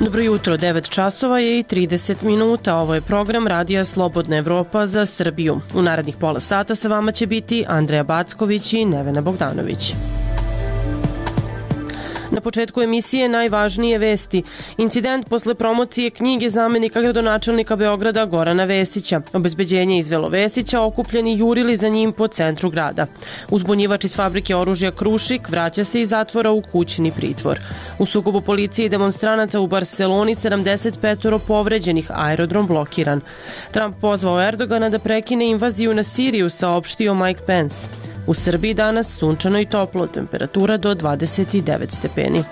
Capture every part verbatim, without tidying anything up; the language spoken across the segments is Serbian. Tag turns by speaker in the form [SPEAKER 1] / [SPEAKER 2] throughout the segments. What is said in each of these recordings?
[SPEAKER 1] Dobro jutro, devet časova je i trideset minuta. Ovo je program Radija Slobodna Evropa za Srbiju. U narednih pola sata sa vama će biti Andreja Backović i Nevena Bogdanović. Na početku emisije najvažnije vesti. Incident posle promocije knjige zamenika gradonačelnika Beograda Gorana Vesića. Obezbeđenje izvelo Vesića, okupljeni jurili za njim po centru grada. Uzbunjivač iz fabrike oružja Krušik vraća se iz zatvora u kućni pritvor. U sukobu policije i demonstranata u Barseloni sedamdeset petoro povređenih, aerodrom blokiran. Trump pozvao Erdogana da prekine invaziju na Siriju, saopštio Mike Pence. U Srbiji danas sunčano i toplo, temperatura do dvadeset devet stepeni.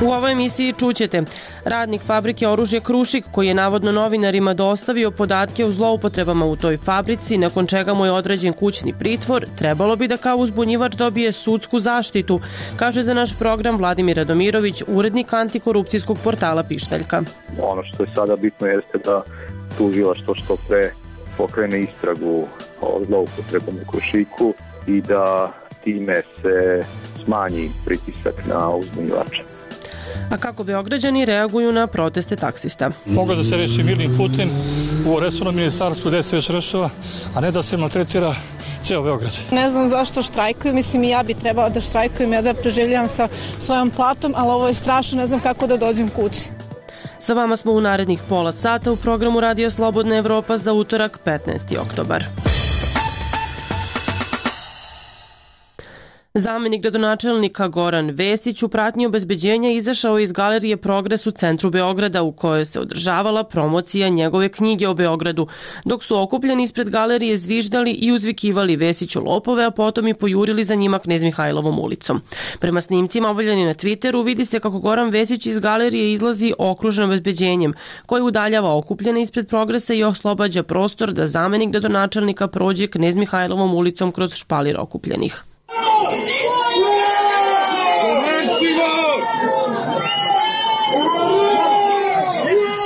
[SPEAKER 1] U ovoj emisiji čućete: radnik fabrike oružja Krušik, koji je navodno novinarima dostavio podatke o zloupotrebama u toj fabrici, nakon čega mu je određen kućni pritvor, trebalo bi da kao uzbunjivač dobije sudsku zaštitu, kaže za naš program Vladimir Radomirović, urednik antikorupcijskog portala Pištaljka.
[SPEAKER 2] Ono što je sada bitno jeste da tužilaštvo što pre pokrene istragu o zloupotrebom u Krušiku i da time se smanji pritisak na uzbunjivača.
[SPEAKER 1] A kako Beograđani reaguju na proteste taksista?
[SPEAKER 3] Mogu da se reši mirnim putem u resornom ministarstvu gde se već rešava, a ne da se maltretira ceo Beograd.
[SPEAKER 4] Ne znam zašto štrajkuju, mislim i ja bi trebala da štrajkujem, ja da preživljavam sa svojom platom, ali ovo je strašno, ne znam kako da dođem kući.
[SPEAKER 1] Sa vama smo u narednih pola sata u programu Radija Slobodna Evropa za utorak petnaesti oktobar. Zamenik gradonačelnika Goran Vesić u pratnji obezbeđenja izašao iz galerije Progres u centru Beograda, u kojoj se održavala promocija njegove knjige o Beogradu, dok su okupljeni ispred galerije zviždali i uzvikivali Vesiću lopove, a potom i pojurili za njima Knez Mihajlovom ulicom. Prema snimcima objavljeni na Twitteru vidi se kako Goran Vesić iz galerije izlazi okružen obezbeđenjem, koji udaljava okupljene ispred Progresa i oslobađa prostor da zamenik gradonačelnika prođe Knez Mihajlovom ulicom kroz špalir okupljenih.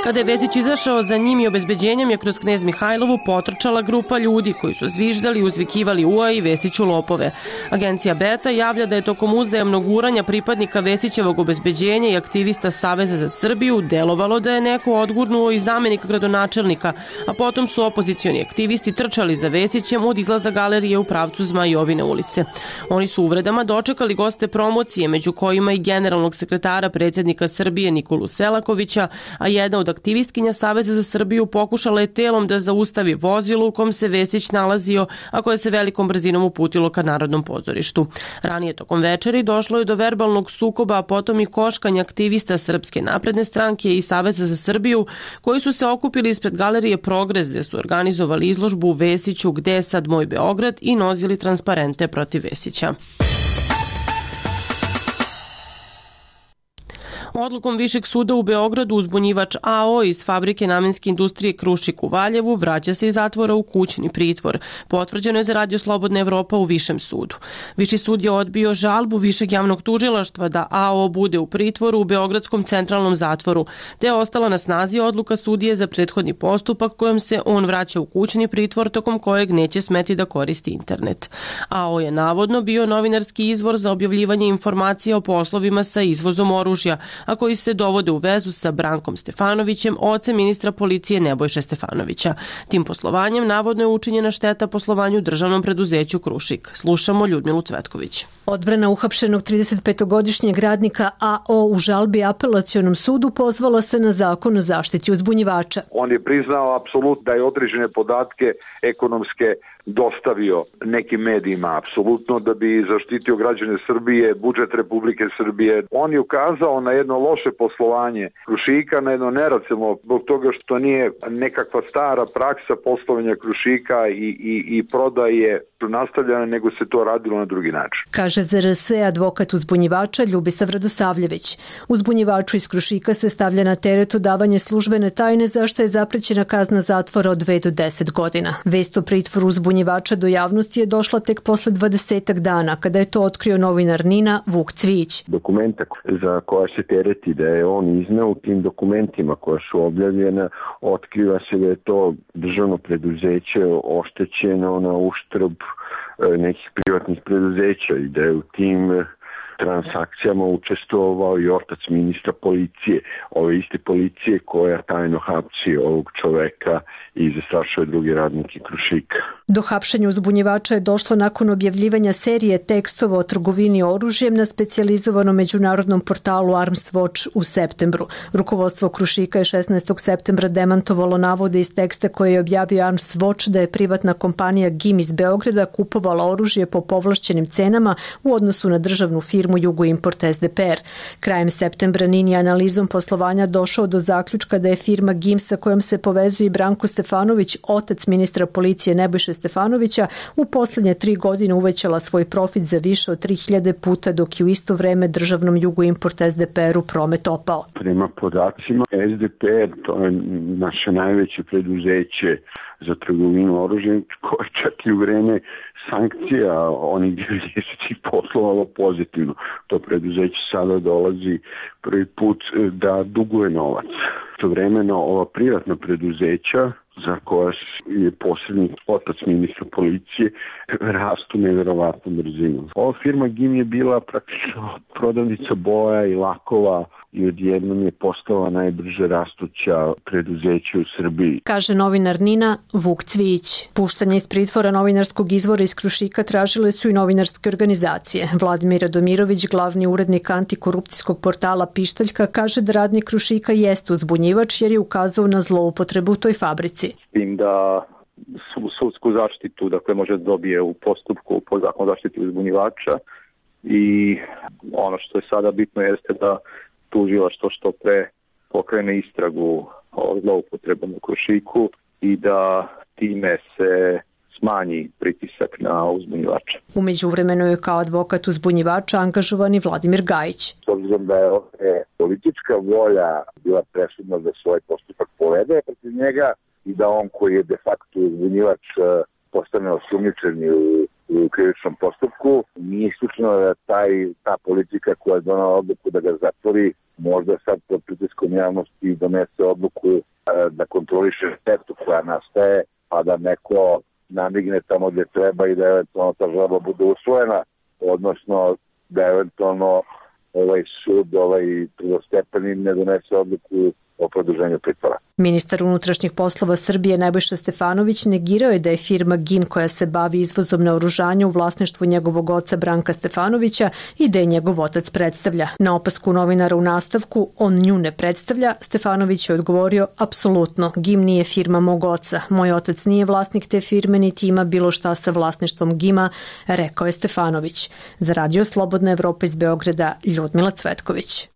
[SPEAKER 1] Kada je Vesić izašao, za njim i obezbeđenjem je kroz Knez Mihajlovu potrčala grupa ljudi koji su zviždali i uzvikivali ua i Vesiću lopove. Agencija Beta javlja da je tokom uzajamnog guranja pripadnika Vesićevog obezbeđenja i aktivista Saveza za Srbiju delovalo da je neko odgurnuo i zamenika gradonačelnika, a potom su opozicioni aktivisti trčali za Vesićem od izlaza galerije u pravcu Zmajovine ulice. Oni su uvredama dočekali goste promocije, među kojima i generalnog sekretara predsjednika Srbije Nikolu Selakovića, a jedna od aktivistkinja Saveza za Srbiju pokušala je telom da zaustavi vozilo u kom se Vesić nalazio, a koje se velikom brzinom uputilo ka Narodnom pozorištu. Ranije tokom večeri došlo je do verbalnog sukoba, a potom i koškanja aktivista Srpske napredne stranke i Saveza za Srbiju, koji su se okupili ispred galerije Progres, gde su organizovali izložbu Vesiću Gde je sad moj Beograd i nosili transparente protiv Vesića. Odlukom Višeg suda u Beogradu uzbunjivač a o iz fabrike namenske industrije Krušik u Valjevu vraća se iz zatvora u kućni pritvor. Potvrđeno je za Radio Slobodna Evropa u Višem sudu. Viši sud je odbio žalbu Višeg javnog tužilaštva da a o bude u pritvoru u Beogradskom centralnom zatvoru, te je ostala na snazi odluka sudije za prethodni postupak kojom se on vraća u kućni pritvor, tokom kojeg neće smeti da koristi internet. a o je navodno bio novinarski izvor za objavljivanje informacija o poslovima sa izvozom oružja, a koji se dovode u vezu sa Brankom Stefanovićem, ocem ministra policije Nebojše Stefanovića. Tim poslovanjem navodno je učinjena šteta poslovanju državnom preduzeću Krušik. Slušamo Ljudmilu Cvetković.
[SPEAKER 5] Odbrana uhapšenog tridesetpetogodišnjeg radnika a o u žalbi apelacionom sudu pozvala se na zakon o zaštiti uzbunjivača.
[SPEAKER 6] On je priznao apsolutno da je određene podatke ekonomske dostavio nekim medijima, apsolutno, da bi zaštitio građane Srbije, budžet Republike Srbije. On je ukazao na jedno loše poslovanje Krušika, na jedno neracionalno, zbog toga što nije nekakva stara praksa poslovanja Krušika i, i, i prodaje nastavljena, nego se to radilo na drugi način.
[SPEAKER 5] Kaže Z R S advokat uzbunjivača Ljubisav Radosavljević. Uzbunjivaču iz Krušika se stavlja na teret odavanje službene tajne, za što je zaprećena kazna zatvora od dve do deset godina. Vest o pritvoru uzbunjivača do javnosti je došla tek posle dvadesetak dana, kada je to otkrio novinar NIN-a Vuk Cvijić.
[SPEAKER 7] Dokumenta za koja se tereti da je on izneo, u tim dokumentima koja su objavljena, otkriva se da je to državno preduzeće oštećeno na uštrb nekih privatnih preduzeća i da je u tim transakcijama učestvovao i otac ministra policije, ove iste policije koja tajno hapsi ovog čoveka i zastrašuje drugi radnike Krušika.
[SPEAKER 5] Do hapšenja uzbunjivača je došlo nakon objavljivanja serije tekstova o trgovini oružjem na specijalizovanom međunarodnom portalu Arms Watch u septembru. Rukovodstvo Krušika je šesnaestog septembra demantovalo navode iz teksta koje je objavio Arms Watch da je privatna kompanija G I M iz Beograda kupovala oružje po povlašćenim cenama u odnosu na državnu firmu Jugoimport S D P R. Krajem septembra N I N je analizom poslovanja došao do zaključka da je firma G I M sa kojom se povezuje i Branko Stefanović, otac ministra policije Nebojše Stefanovića, u poslednje tri godine uvećala svoj profit za više od tri hiljade puta, dok je u isto vreme državnom Jugoimport S D P R-u promet opao.
[SPEAKER 7] Prema podacima S D P R, to je naše najveće preduzeće za trgovinu oružjem, koje čak i u vreme sankcija onih devedesetih poslovalo pozitivno. To preduzeće sada dolazi prvi put da duguje novac. Istovremeno ova privatna preduzeća za koja je posrednik otac ministra policije rastu neverovatnom brzinom. Ova firma G I M je bila praktično prodavnica boja i lakova i odjednom je postala najbrže rastuća preduzeća u Srbiji.
[SPEAKER 5] Kaže novinar N I N-a Vuk Cvijić. Puštanje iz pritvora novinarskog izvora iz Krušika tražile su i novinarske organizacije. Vladimir Radomirović, glavni urednik antikorupcijskog portala Pištaljka, kaže da radnik Krušika jeste uzbunjivač jer je ukazao na zloupotrebu u toj fabrici.
[SPEAKER 2] S tim da sudsku zaštitu, dakle, može dobije u postupku po zakonu zaštiti uzbunjivača i ono što je sada bitno jeste da tužilaštvo što pre pokrene istragu o zloupotrebom u Krušiku i da time se smanji pritisak na uzbunjivača.
[SPEAKER 5] U međuvremenu je kao advokat uzbunjivača angažovan i Vladimir Gajić.
[SPEAKER 8] S obzirom da je ovdje politička volja bila presudna da svoj postupak povede protiv njega i da on koji je de facto uzbunjivač postane osumnjičen u u krivičnom postupku, nije isključeno da taj, ta politika koja je donala odluku da ga zatvori, možda sad pod pritiskom javnosti donese odluku da kontroliše štetu koja nastaje, a da neko namigne tamo gdje treba i da eventualno ta žalba bude usvojena, odnosno da eventualno ovaj sud, ovaj prvostepeni ne donese odluku o produženju pritvora.
[SPEAKER 5] Ministar unutrašnjih poslova Srbije Nebojša Stefanović negirao je da je firma G I M koja se bavi izvozom naoružanja u vlasništvu njegovog oca Branka Stefanovića i da je njegov otac predstavlja. Na opasku novinara u nastavku on nju ne predstavlja, Stefanović je odgovorio apsolutno, G I M nije firma mog oca. Moj otac nije vlasnik te firme niti ima bilo šta sa vlasništvom G I M-a, rekao je Stefanović. Za Radio Slobodna Evropa iz Beograda, Ljudmila Cvetković.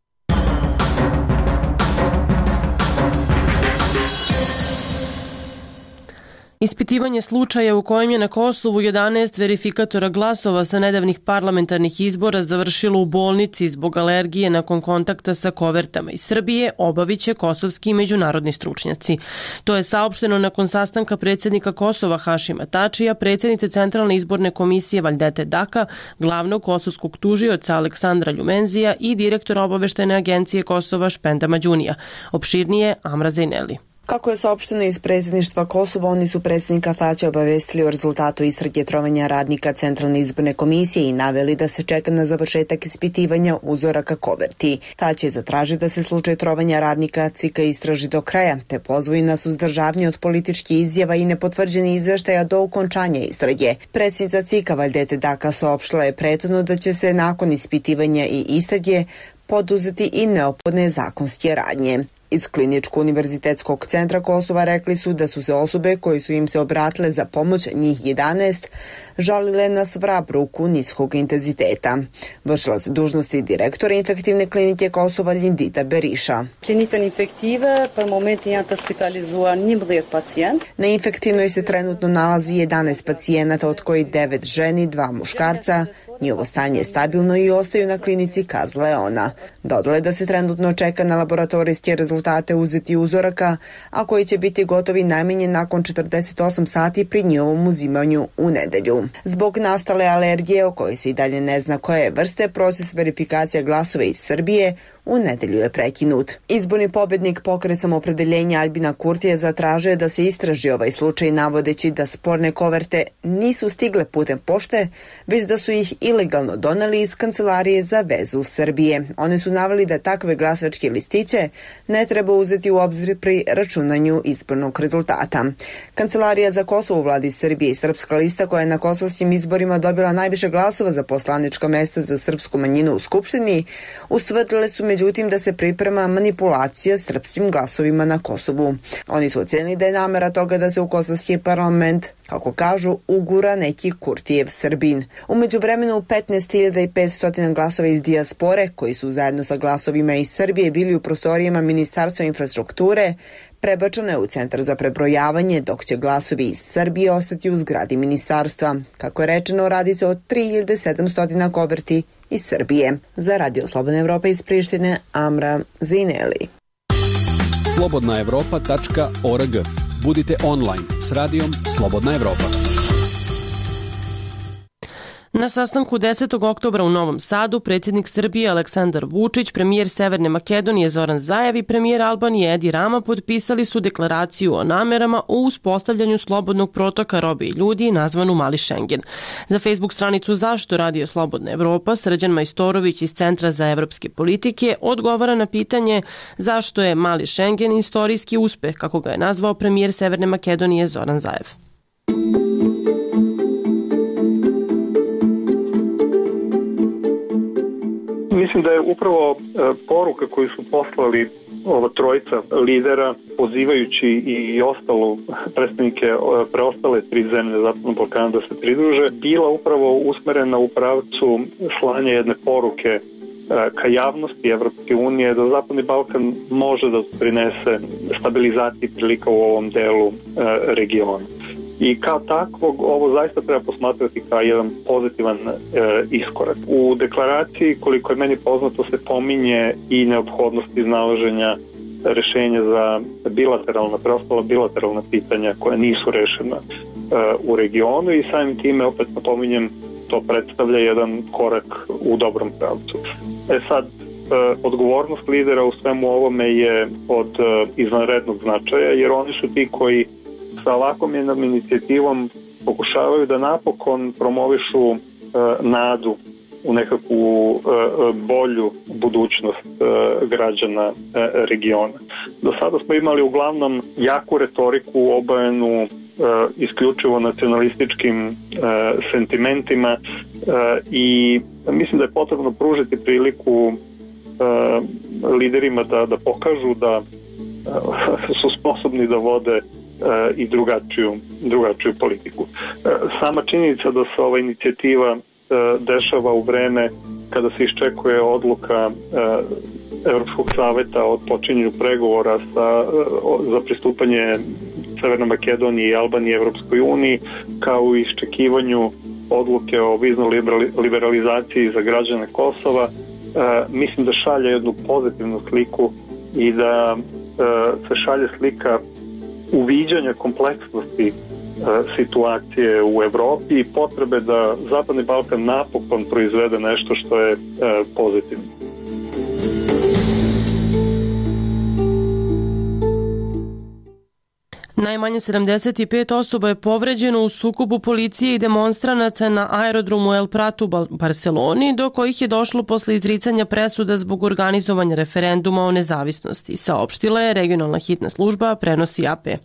[SPEAKER 1] Ispitivanje slučaja u kojem je na Kosovu jedanaest verifikatora glasova sa nedavnih parlamentarnih izbora završilo u bolnici zbog alergije nakon kontakta sa kovertama iz Srbije obavit će kosovski i međunarodni stručnjaci. To je saopšteno nakon sastanka predsjednika Kosova Hašima Tačija, predsjednice Centralne izborne komisije Valjdete Daka, glavnog kosovskog tužioca Aleksandra Ljumenzija i direktora obaveštajne agencije Kosova Špenda Mađunija. Opširnije Amra Zejneli.
[SPEAKER 9] Kako je saopšteno iz predsjedništva Kosova, oni su predsjednika Tačija obavestili o rezultatu istrage trovanja radnika Centralne izborne komisije i naveli da se čeka na završetak ispitivanja uzoraka koverti. Tač je zatražio da se slučaj trovanja radnika C I K-a istraži do kraja, te pozvoji na suzdržavanje od političkih izjava i nepotvrđenih izveštaja do okončanja istrage. Predsjednica C I K-a Valjdete Daka saopštila je prethodno da će se nakon ispitivanja i istrage poduzeti i neophodne zakonske radnje. Iz Kliničko-univerzitetskog centra Kosova rekli su da su se osobe koje su im se obratile za pomoć, njih jedanaest, žalile na svrab ruku niskog intenziteta. Vršila se dužnosti direktora infektivne klinike Kosova Lindita Beriša.
[SPEAKER 10] Klinika infektive, per momentin janë të hospitalizuar njëmbëdhjetë pacijent.
[SPEAKER 9] Na infektivnoj se trenutno nalazi jedanaest pacijenata, od kojih devet ženi, dva muškarca. Njihovo stanje je stabilno i ostaju na klinici, kazala je ona. Dodala da se trenutno čeka na laboratorijske rezultate uzeti uzoraka, a koji će biti gotovi najmanje nakon četrdeset osam sati pri njihovom uzimanju u nedelju. Zbog nastale alergije, o kojoj se i dalje ne zna koje je vrste, proces verifikacija glasova iz Srbije u nedelju je prekinut. Izborni pobednik Pokret Samoopredeljenja Aljbina Kurtija zatražio je da se istraži ovaj slučaj, navodeći da sporne koverte nisu stigle putem pošte, već da su ih ilegalno doneli iz Kancelarije za vezu Srbije. Oni su naveli da takve glasačke listiće ne treba uzeti u obzir pri računanju izbornog rezultata. Kancelarija za Kosovo u vladi Srbije i Srpska lista, koja je na kosovskim izborima dobila najviše glasova za poslanička mesta za srpsku manjinu u Skupštini, ustvrdile su međutim da se priprema manipulacija srpskim glasovima na Kosovu. Oni su ocenili da je namera toga da se u kosovski parlament, kako kažu, ugura neki Kurtijev Srbin. U međuvremenu petnaest hiljada petsto glasova iz dijaspore, koji su zajedno sa glasovima iz Srbije bili u prostorijama Ministarstva infrastrukture, prebačeno je u centar za prebrojavanje, dok će glasovi iz Srbije ostati u zgradi ministarstva. Kako je rečeno, radi se o tri hiljade sedamsto koverti iz Srbije. Za Radio Slobodna Evropa iz Prištine, Amra Zineli.
[SPEAKER 11] slobodna evropa tačka org. Budite online s radijom Slobodna Evropa.
[SPEAKER 1] Na sastanku desetog oktobra u Novom Sadu predsjednik Srbije Aleksandar Vučić, premijer Severne Makedonije Zoran Zaev i premijer Albanije Edi Rama potpisali su deklaraciju o namerama o uspostavljanju slobodnog protoka robe i ljudi nazvanu Mali Šengen. Za Facebook stranicu Zašto radija Slobodna Evropa Srđan Majstorović iz Centra za evropske politike odgovara na pitanje zašto je Mali Šengen istorijski uspeh, kako ga je nazvao premijer Severne Makedonije Zoran Zaev.
[SPEAKER 12] Mislim da je upravo poruka koju su poslali ova trojica lidera, pozivajući i ostalu predstavnike preostale tri zemlje Zapadnog Balkana da se pridruže, bila upravo usmerena u pravcu slanja jedne poruke ka javnosti Evropske unije da Zapadni Balkan može da prinese stabilizaciji prilika u ovom delu regiona. I kao takvog ovo zaista treba posmatrati kao jedan pozitivan e, iskorak. U deklaraciji, koliko je meni poznato, se pominje i neophodnost iznalaženja rešenja za bilateralna, preostala bilateralna pitanja koja nisu rešena e, u regionu i samim time, opet napominjem, to predstavlja jedan korak u dobrom pravcu. E sad, e, odgovornost lidera u svemu ovome je od e, izvanrednog značaja, jer oni su ti koji sa ovakvom jednom inicijativom pokušavaju da napokon promovišu e, nadu u nekakvu e, bolju budućnost e, građana e, regiona. Do sada smo imali uglavnom jaku retoriku obojenu e, isključivo nacionalističkim e, sentimentima e, i mislim da je potrebno pružiti priliku e, liderima da, da pokažu da e, su sposobni da vode i drugačiju, drugačiju politiku. Sama činjenica da se ova inicijativa dešava u vreme kada se iščekuje odluka Evropskog saveta o počinjenju pregovora sa, za pristupanje Severne Makedonije i Albanije Evropskoj uniji, kao i iščekivanju odluke o viznoj liberalizaciji za građane Kosova, mislim da šalje jednu pozitivnu sliku i da se šalje slika uviđanja kompleksnosti e, situacije u Evropi i potrebe da Zapadni Balkan napokon proizvede nešto što je e, pozitivno.
[SPEAKER 1] Najmanje sedamdeset pet osoba je povređeno u sukobu policije i demonstranata na aerodromu El Prat u Barseloni, do kojih je došlo posle izricanja presuda zbog organizovanja referenduma o nezavisnosti, saopštila je regionalna hitna služba, prenosi A P.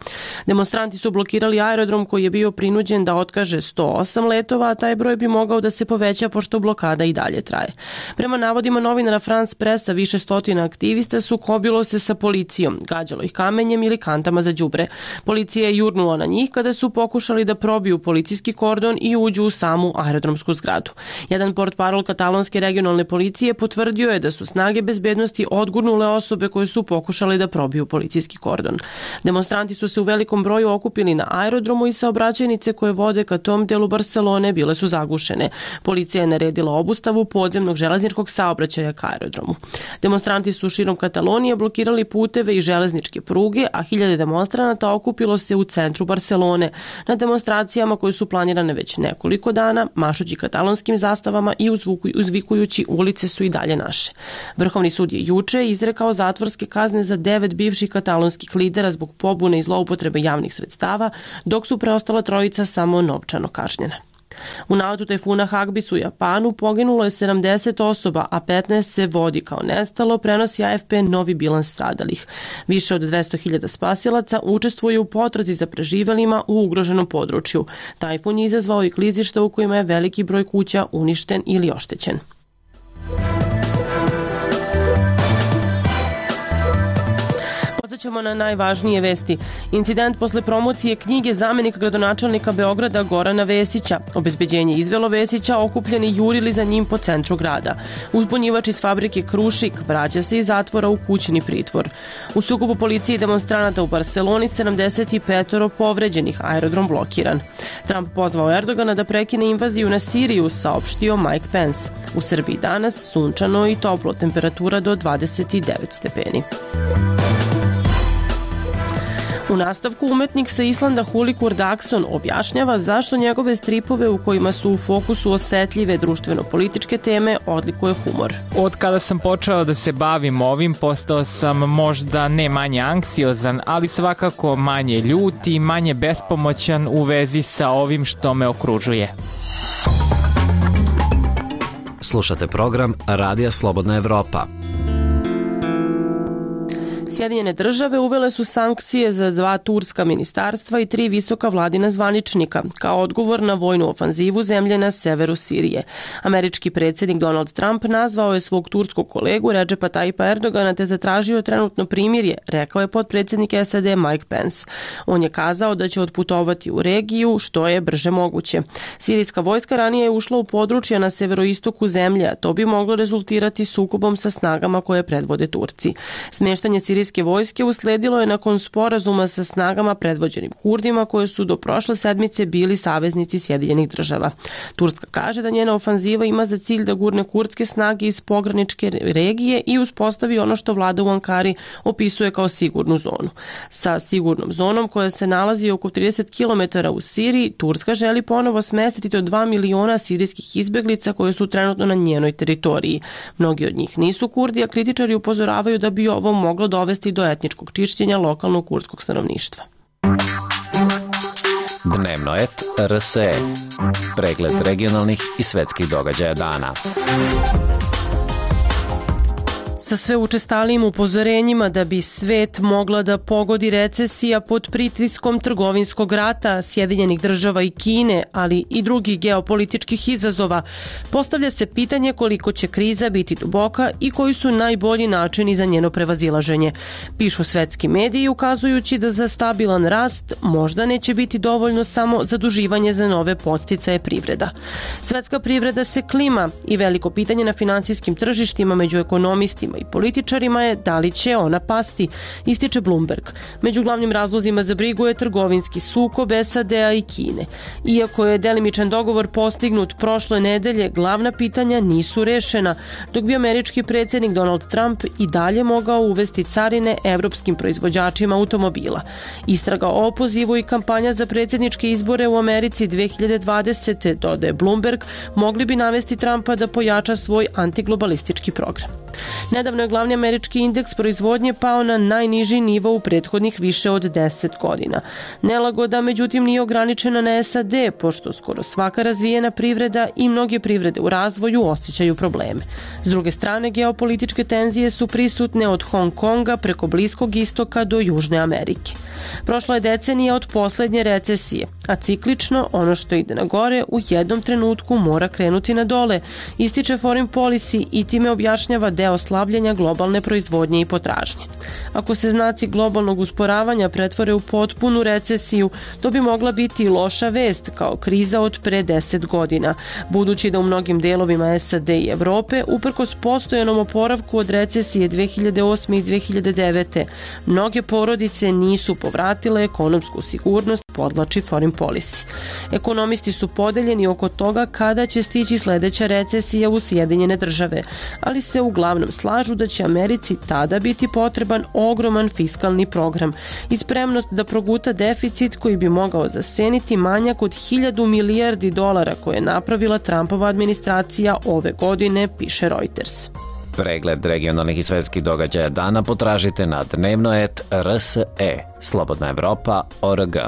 [SPEAKER 1] Demonstranti su blokirali aerodrom koji je bio prinuđen da otkaže sto osam letova, a taj broj bi mogao da se poveća pošto blokada i dalje traje. Prema navodima novinara France Pressa, više stotina aktivista sukobilo se sa policijom, gađalo ih kamenjem ili kantama za đubre. Policija je jurnula na njih kada su pokušali da probiju policijski kordon i uđu u samu aerodromsku zgradu. Jedan portparol katalonske regionalne policije potvrdio je da su snage bezbednosti odgurnule osobe koje su pokušale da probiju policijski kordon. Demonstranti su se u velikom broju okupili na aerodromu i saobraćajnice koje vode ka tom delu Barcelone bile su zagušene. Policija je naredila obustavu podzemnog železničkog saobraćaja ka aerodromu. Demonstranti su širom Katalonije blokirali puteve i železničke pruge, a hiljade demonstranata okupili okupilo se u centru Barcelone na demonstracijama koje su planirane već nekoliko dana, mašući katalonskim zastavama i uzvikujući ulice su i dalje naše. Vrhovni sud je juče izrekao zatvorske kazne za devet bivših katalonskih lidera zbog pobune i zloupotrebe javnih sredstava, dok su preostala trojica samo novčano kažnjena. U naletu tajfuna Hagibis u Japanu poginulo je sedamdeset osoba, a petnaest se vodi kao nestalo, prenosi A F P novi bilans stradalih. Više od dvesta hiljada spasilaca učestvuje u potrazi za preživelima u ugroženom području. Tajfun je izazvao i klizišta u kojima je veliki broj kuća uništen ili oštećen. Ćemo na najvažnije vesti. Incident posle promocije knjige zamenika gradonačelnika Beograda Gorana Vesića. Obezbeđenje izvelo Vesića, okupljeni jurili za njim po centru grada. Uzbunjivač iz fabrike Krušik vraća se iz zatvora u kućni pritvor. U sukobu policije i demonstranata u Barceloni sedamdeset pet povređenih, aerodrom blokiran. Trump pozvao Erdogana da prekine invaziju na Siriju, saopštio Mike Pence. U Srbiji danas sunčano i toplo, temperatura do dvadeset devet stepeni. U nastavku umetnik sa Islanda Huli Kurdakson objašnjava zašto njegove stripove u kojima su u fokusu osetljive društveno-političke teme odlikuje humor.
[SPEAKER 13] Od kada sam počeo da se bavim ovim, postao sam možda ne manje anksiozan, ali svakako manje ljut i manje bespomoćan u vezi sa ovim što me okružuje.
[SPEAKER 14] Slušate program Radija Slobodna Evropa.
[SPEAKER 1] Sjedinjene države uvele su sankcije za dva turska ministarstva i tri visoka vladina zvaničnika kao odgovor na vojnu ofanzivu zemlje na severu Sirije. Američki predsjednik Donald Trump nazvao je svog turskog kolegu Redžepa Tayyipa Erdogana te zatražio trenutno primirje, rekao je potpredsjednik S A D Mike Pence. On je kazao da će otputovati u regiju što je brže moguće. Sirijska vojska ranije je ušla u područja na severoistoku zemlje, a to bi moglo rezultirati sukobom sa snagama koje predvode Turci. Smještanje sirijske vojske usledilo je nakon sporazuma sa snagama predvođenim Kurdima koje su do prošle sedmice bili saveznici Sjedinjenih država. Turska kaže da njena ofanziva ima za cilj da gurne kurdske snage iz pograničke regije i uspostavi ono što vlada u Ankari opisuje kao sigurnu zonu. Sa sigurnom zonom koja se nalazi oko trideset kilometara u Siriji, Turska želi ponovo smestiti do dva miliona sirijskih izbeglica koje su trenutno na njenoj teritoriji. Mnogi od njih nisu Kurdi, a kritičari upozoravaju da bi ovo moglo dovesti do etničkog čišćenja lokalnog kurdskog stanovništva.
[SPEAKER 14] Dnevno et R S E. Pregled regionalnih i svetskih događaja dana.
[SPEAKER 1] Sa sve učestalijim upozorenjima da bi svet mogla da pogodi recesija pod pritiskom trgovinskog rata Sjedinjenih država i Kine, ali i drugih geopolitičkih izazova, postavlja se pitanje koliko će kriza biti duboka i koji su najbolji načini za njeno prevazilaženje. Pišu svetski mediji ukazujući da za stabilan rast možda neće biti dovoljno samo zaduživanje za nove podsticaje privreda. Svetska privreda se klima i veliko pitanje na finansijskim tržištima među ekonomistima i političarima je da li će ona pasti, ističe Bloomberg. Među glavnim razlozima za brigu je trgovinski sukob S A D-a i Kine. Iako je delimičan dogovor postignut prošle nedelje, glavna pitanja nisu rešena, dok bi američki predsjednik Donald Trump i dalje mogao uvesti carine evropskim proizvođačima automobila. Istraga o opozivu i kampanja za predsjedničke izbore u Americi dve hiljade dvadesete, dodaje Bloomberg, mogli bi navesti Trumpa da pojača svoj antiglobalistički program. Nedavno je glavni američki indeks proizvodnje pao na najniži nivo u prethodnih više od deset godina. Nelagoda, međutim, nije ograničena na S A D, pošto skoro svaka razvijena privreda i mnoge privrede u razvoju osjećaju probleme. S druge strane, geopolitičke tenzije su prisutne od Hong Konga preko Bliskog istoka do Južne Amerike. Prošla je decenija od poslednje recesije, a ciklično ono što ide na gore u jednom trenutku mora krenuti na dole, ističe Foreign Policy i time objašnjava deo slabljenja globalne proizvodnje i potražnje. Ako se znaci globalnog usporavanja pretvore u potpunu recesiju, to bi mogla biti loša vest kao kriza od pre deset godina, budući da u mnogim delovima S A D i Evrope, uprkos postojanom oporavku od recesije dve hiljade osme i dve hiljade devete, mnoge porodice nisu povratile ekonomsku sigurnost, podlači Foreign Policy. Ekonomisti su podeljeni oko toga kada će stići sledeća recesija u Sjedinjene države, ali se uglavnom uglavnom slažu da će Americi tada biti potreban ogroman fiskalni program i spremnost da proguta deficit koji bi mogao zaseniti manjak od hiljadu milijardi dolara koje je napravila Trumpova administracija ove godine, piše Reuters.
[SPEAKER 14] Pregled regionalnih i svetskih događaja dana potražite na dnevnoet R S E, Slobodna Evropa, O R G.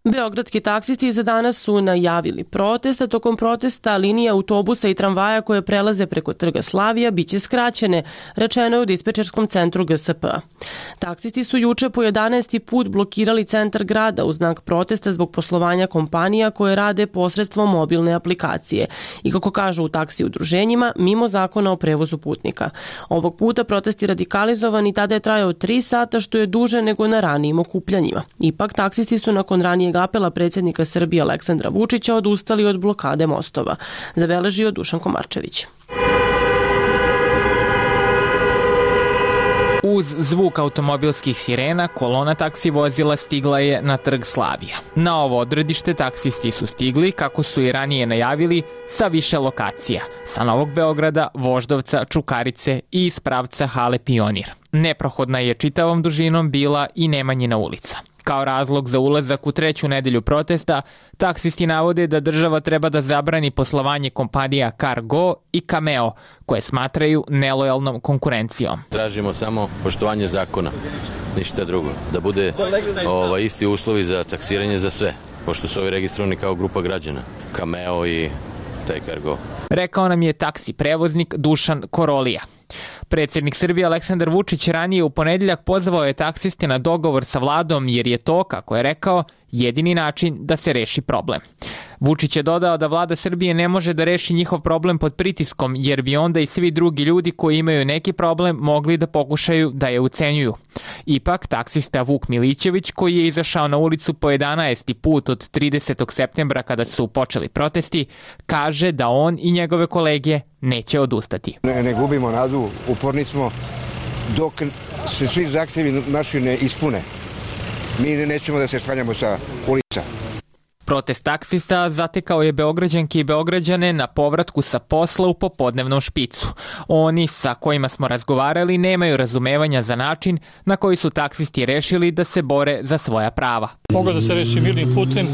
[SPEAKER 1] Beogradski taksisti za danas su najavili protest, a tokom protesta linije autobusa i tramvaja koje prelaze preko Trga Slavija biće skraćene, rečeno je u dispečerskom centru G S P-a. Taksisti su juče po jedanaesti put blokirali centar grada u znak protesta zbog poslovanja kompanija koje rade posredstvom mobilne aplikacije i, kako kažu u taksi udruženjima, mimo zakona o prevozu putnika. Ovog puta protest je radikalizovan i tada je trajao tri sata, što je duže nego na ranijim okupljanjima. Ipak, taksisti su nakon ranijeg apela predsjednika Srbije Aleksandra Vučića odustali od blokade mostova, zabeležio Dušan Komarčević.
[SPEAKER 13] Uz zvuk automobilskih sirena, kolona taksi vozila stigla je na Trg Slavija. Na ovo odredište taksisti su stigli, kako su i ranije najavili, sa više lokacija, sa Novog Beograda, Voždovca, Čukarice i iz pravca Hale Pionir. Neprohodna je čitavom dužinom bila i Nemanjina ulica. Kao razlog za ulazak u treću nedelju protesta, taksisti navode da država treba da zabrani poslovanje kompanija Cargo i Cameo, koje smatraju nelojalnom konkurencijom.
[SPEAKER 15] Tražimo samo poštovanje zakona, ništa drugo. Da bude ova, isti uslovi za taksiranje za sve, pošto su ovi registrovani kao grupa građana, Cameo i taj Cargo.
[SPEAKER 13] Rekao nam je taksi prevoznik Dušan Korolija. Predsjednik Srbije Aleksandar Vučić ranije u ponedeljak pozvao je taksiste na dogovor sa vladom jer je to, kako je rekao, jedini način da se reši problem. Vučić je dodao da vlada Srbije ne može da reši njihov problem pod pritiskom jer bi onda i svi drugi ljudi koji imaju neki problem mogli da pokušaju da je ucenjuju. Ipak, taksista Vuk Milićević, koji je izašao na ulicu po jedanaesti put od tridesetog septembra kada su počeli protesti, kaže da on i njegove kolege neće odustati.
[SPEAKER 16] Ne, ne gubimo nadu, uporni smo dok se svi zahtjevi naši ne ispune. Mi nećemo da se sklanjamo sa ulica.
[SPEAKER 13] Protest taksista zatekao je Beograđanke i Beograđane na povratku sa posla u popodnevnom špicu. Oni sa kojima smo razgovarali nemaju razumevanja za način na koji su taksisti rešili da se bore za svoja prava.
[SPEAKER 3] Mogu da se reši mirnim putem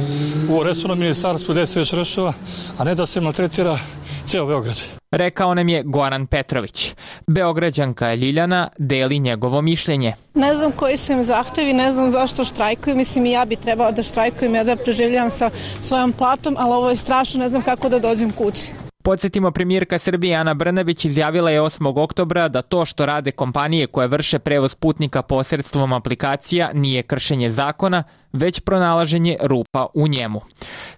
[SPEAKER 3] u resornom ministarstvu gde se već rešava, a ne da se maltretira ceo Beograd.
[SPEAKER 13] Rekao nam je Goran Petrović. Beograđanka Ljiljana deli njegovo mišljenje.
[SPEAKER 4] Ne znam koji su im zahtevi, ne znam zašto štrajkuju. Mislim, i ja bi trebala da štrajkujem, ja da preživljam sa svojom platom, ali ovo je strašno, ne znam kako da dođem kući.
[SPEAKER 13] Podsjetimo, premijerka Srbije Ana Brnabić izjavila je osmog oktobra da to što rade kompanije koje vrše prevoz putnika posredstvom aplikacija nije kršenje zakona, već pronalaženje rupa u njemu.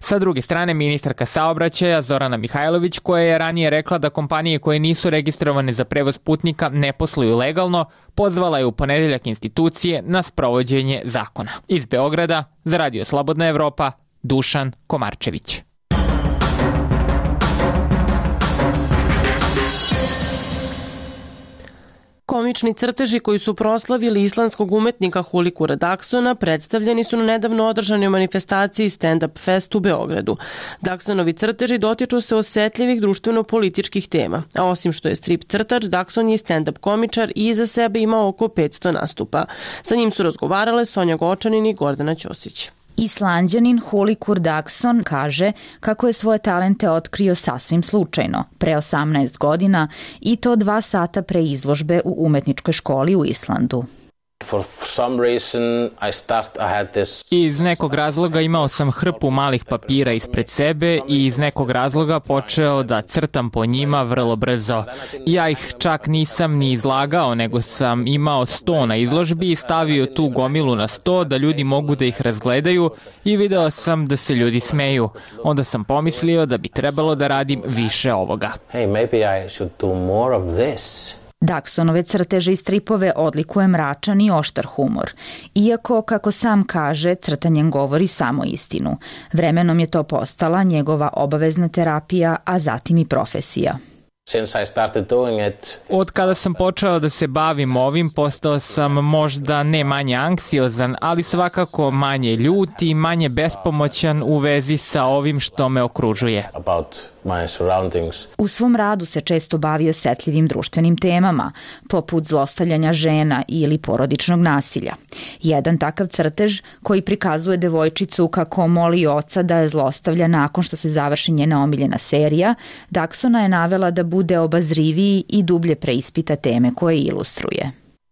[SPEAKER 13] Sa druge strane, ministarka saobraćaja Zorana Mihajlović, koja je ranije rekla da kompanije koje nisu registrovane za prevoz putnika ne posluju legalno, pozvala je u ponedeljak institucije na sprovođenje zakona. Iz Beograda, za Radio Slobodna Evropa, Dušan Komarčević.
[SPEAKER 1] Komični crteži koji su proslavili islandskog umetnika Hulikura Daksona predstavljeni su na nedavno održanoj manifestaciji Stand Up Fest u Beogradu. Daksonovi crteži dotiču se osetljivih društveno-političkih tema, a osim što je strip crtač, Dakson je stand-up komičar i iza sebe ima oko petsto nastupa. Sa njim su razgovarale Sonja Gočanin i Gordana Ćosić.
[SPEAKER 17] Islanđanin Hulikur Dakson kaže kako je svoje talente otkrio sasvim slučajno, pre osamnaest godina, i to dva sata pre izložbe u umetničkoj školi u Islandu.
[SPEAKER 18] For some reason I start I had this
[SPEAKER 13] Iz nekog razloga imao sam hrpu malih papira ispred sebe i iz nekog razloga počeo da crtam po njima vrlo brzo. Ja ih čak nisam ni izlagao, nego sam imao sto na izložbi i stavio tu gomilu na sto da ljudi mogu da ih razgledaju i video sam da se ljudi smeju. Onda sam pomislio da bi trebalo da radim više ovoga.
[SPEAKER 18] Hey, maybe I should do more of this.
[SPEAKER 17] Daksonove crteže i stripove odlikuje mračan i oštar humor. Iako, kako sam kaže, crtanjem govori samo istinu. Vremenom je to postala njegova obavezna terapija, a zatim i profesija.
[SPEAKER 18] Since I started doing it,
[SPEAKER 13] Od kada sam počeo da se bavim ovim, postao sam možda ne manje anksiozan, ali svakako manje ljut i manje bespomoćan u vezi sa ovim što me okružuje.
[SPEAKER 18] About my surroundings.
[SPEAKER 17] U svom radu se često bavi osetljivim društvenim temama, poput zlostavljanja žena ili porodičnog nasilja. Jedan takav crtež koji prikazuje devojčicu kako moli oca da je zlostavlja nakon što se završi njena omiljena serija, Daxona je navela da bude obazriviji i dublje preispita teme koje ilustruje.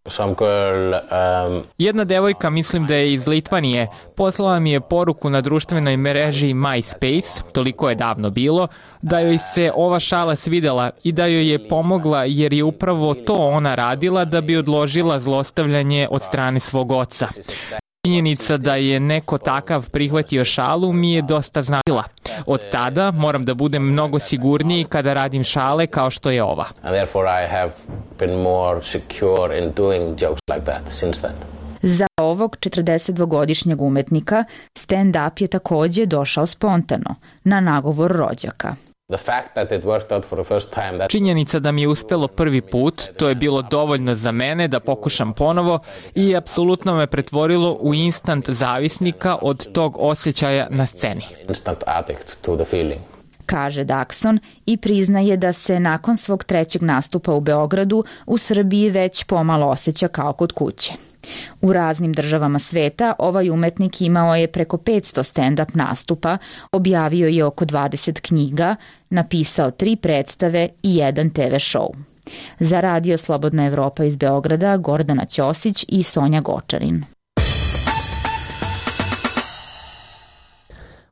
[SPEAKER 18] Some girl, um...
[SPEAKER 13] Jedna devojka, mislim da je iz Litvanije, poslala mi je poruku na društvenoj mreži MySpace, toliko je davno bilo, da joj se ova šala svidela i da joj je pomogla jer je upravo to ona radila da bi odložila zlostavljanje od strane svog oca. Činjenica da je neko takav prihvatio šalu mi je dosta značila. Od tada moram da budem mnogo sigurniji kada radim šale kao što je ova.
[SPEAKER 18] And therefore I have been more secure in doing jokes like that since then.
[SPEAKER 17] Za ovog četrdesetdvogodišnjeg umetnika stand-up je takođe došao spontano, na nagovor rođaka.
[SPEAKER 13] Činjenica da mi je uspelo prvi put, to je bilo dovoljno za mene da pokušam ponovo i apsolutno me pretvorilo u instant zavisnika od tog osjećaja na sceni.
[SPEAKER 17] Kaže Daxon i priznaje da se nakon svog trećeg nastupa u Beogradu u Srbiji već pomalo osjeća kao kod kuće. U raznim državama sveta ovaj umetnik imao je preko petsto stand-up nastupa, objavio je oko dvadeset knjiga, napisao tri predstave i jedan te ve show. Za Radio Slobodna Evropa iz Beograda Gordana Ćosić i Sonja Gočarin.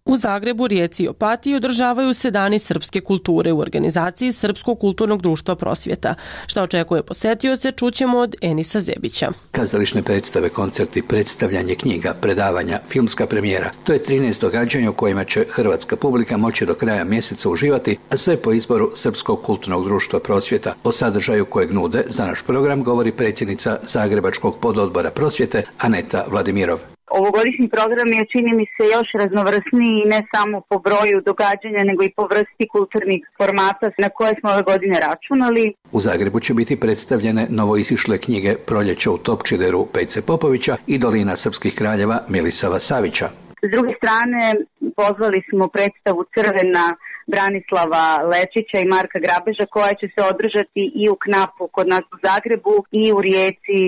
[SPEAKER 1] U Zagrebu, Rijeci i Opatiji održavaju se dani srpske kulture u organizaciji Srpskog kulturnog društva Prosvjeta. Šta očekuje posetioce, čućemo od Enisa Zebića.
[SPEAKER 19] Kazališne predstave, koncerti, predstavljanje knjiga, predavanja, filmska premijera. To je trinaest događanja u kojima će hrvatska publika moći do kraja mjeseca uživati, a sve po izboru Srpskog kulturnog društva Prosvjeta. O sadržaju kojeg nude za naš program govori predsjednica Zagrebačkog pododbora Prosvjete Aneta Vladimirov.
[SPEAKER 20] Ovogodišnji program je, čini mi se, još raznovrsniji ne samo po broju događanja, nego i po vrsti kulturnih formata na koje smo ove godine računali.
[SPEAKER 19] U Zagrebu će biti predstavljene novoizišle knjige Proljeće u Topčideru Pejce Popovića i Dolina srpskih kraljeva Milisava Savića.
[SPEAKER 20] S druge strane, pozvali smo predstavu Crvena Branislava Lečića i Marka Grabeža koja će se održati i u Knapu kod nas u Zagrebu i u Rijeci.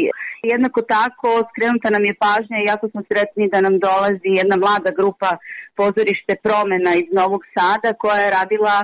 [SPEAKER 20] Jednako tako skrenuta nam je pažnja i jako smo sretni da nam dolazi jedna mlada grupa Pozorište Promena iz Novog Sada koja je radila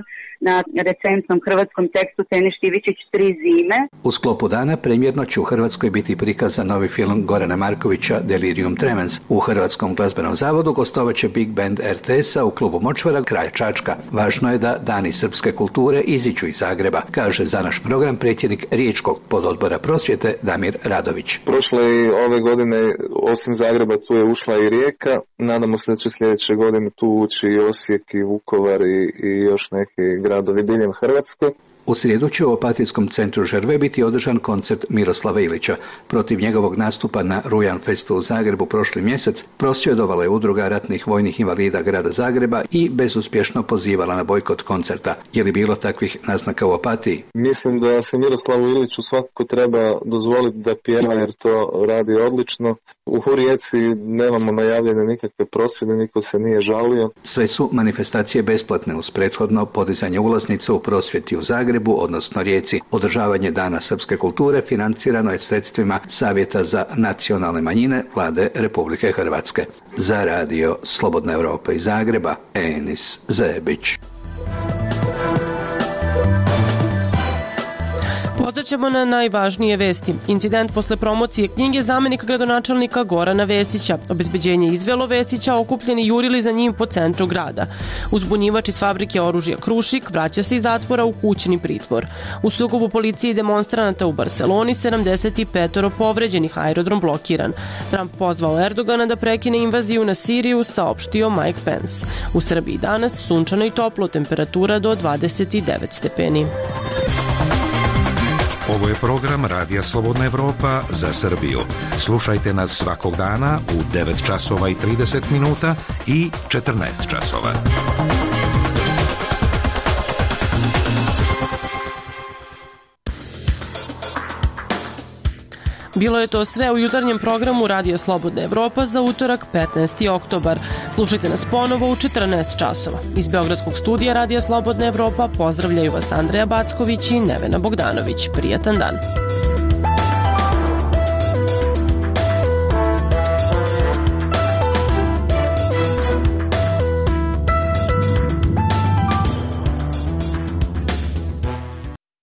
[SPEAKER 20] na recentnom hrvatskom tekstu Tene Štivičić Tri zime.
[SPEAKER 19] U sklopu dana premjerno će u Hrvatskoj biti prikazan novi film Gorana Markovića Delirium Tremens. U Hrvatskom glazbenom zavodu gostovaće Big Band er te es-a u klubu Močvara kraj Čačka. Važno je da Dani srpske kulture iziđu iz Zagreba, kaže za naš program predsjednik Riječkog pododbora Prosvjete Damir Radović.
[SPEAKER 21] Prošle i ove godine osim Zagreba tu je ušla i Rijeka. Nadamo se da će sljedeće godine tu ući i Osijek i Vukovar i, i još neki gradovi diljem Hrvatske.
[SPEAKER 19] U srijedu će u Opatijskom centru Žerve biti održan koncert Miroslava Ilića. Protiv njegovog nastupa na Rujan Festu u Zagrebu prošli mjesec prosvjedovala je udruga ratnih vojnih invalida grada Zagreba i bezuspješno pozivala na bojkot koncerta. Je li bilo takvih naznaka u Opatiji?
[SPEAKER 21] Mislim da se Miroslavu Iliću svakako treba dozvoliti da pjeva jer to radi odlično. U Rijeci nemamo najavljene nikakve prosvjede, niko se nije žalio.
[SPEAKER 19] Sve su manifestacije besplatne uz prethodno podizanje ulaznica u Prosvjeti u Zagrebu, odnosno Rijeci. Održavanje Dana srpske kulture financirano je sredstvima Savjeta za nacionalne manjine Vlade Republike Hrvatske. Za Radio Slobodna Evropa iz Zagreba, Enis Zebić.
[SPEAKER 1] Podsećamo na najvažnije vesti. Incident posle promocije knjige zamenika gradonačelnika Gorana Vesića. Obezbeđenje izvelo Vesića, okupljeni jurili za njim po centru grada. Uzbunjivač iz fabrike oružja Krušik vraća se iz zatvora u kućni pritvor. U sukobu policije i demonstranata u Barseloni sedamdeset pet povređenih, aerodrom blokiran. Trump pozvao Erdogana da prekine invaziju na Siriju, saopštio Mike Pence. U Srbiji danas sunčano i toplo, temperatura do dvadeset devet stepeni.
[SPEAKER 22] Ovo je program Radija Slobodna Evropa za Srbiju. Slušajte nas svakog dana u devet časova i trideset minuta i četrnaest časova.
[SPEAKER 1] Bilo je to sve u jutarnjem programu Radija Slobodna Evropa za utorak petnaesti oktobar. Slušajte nas ponovo u četrnaest časova. Iz Beogradskog studija Radija Slobodna Evropa pozdravljaju vas Andreja Backović i Nevena Bogdanović. Prijatan dan.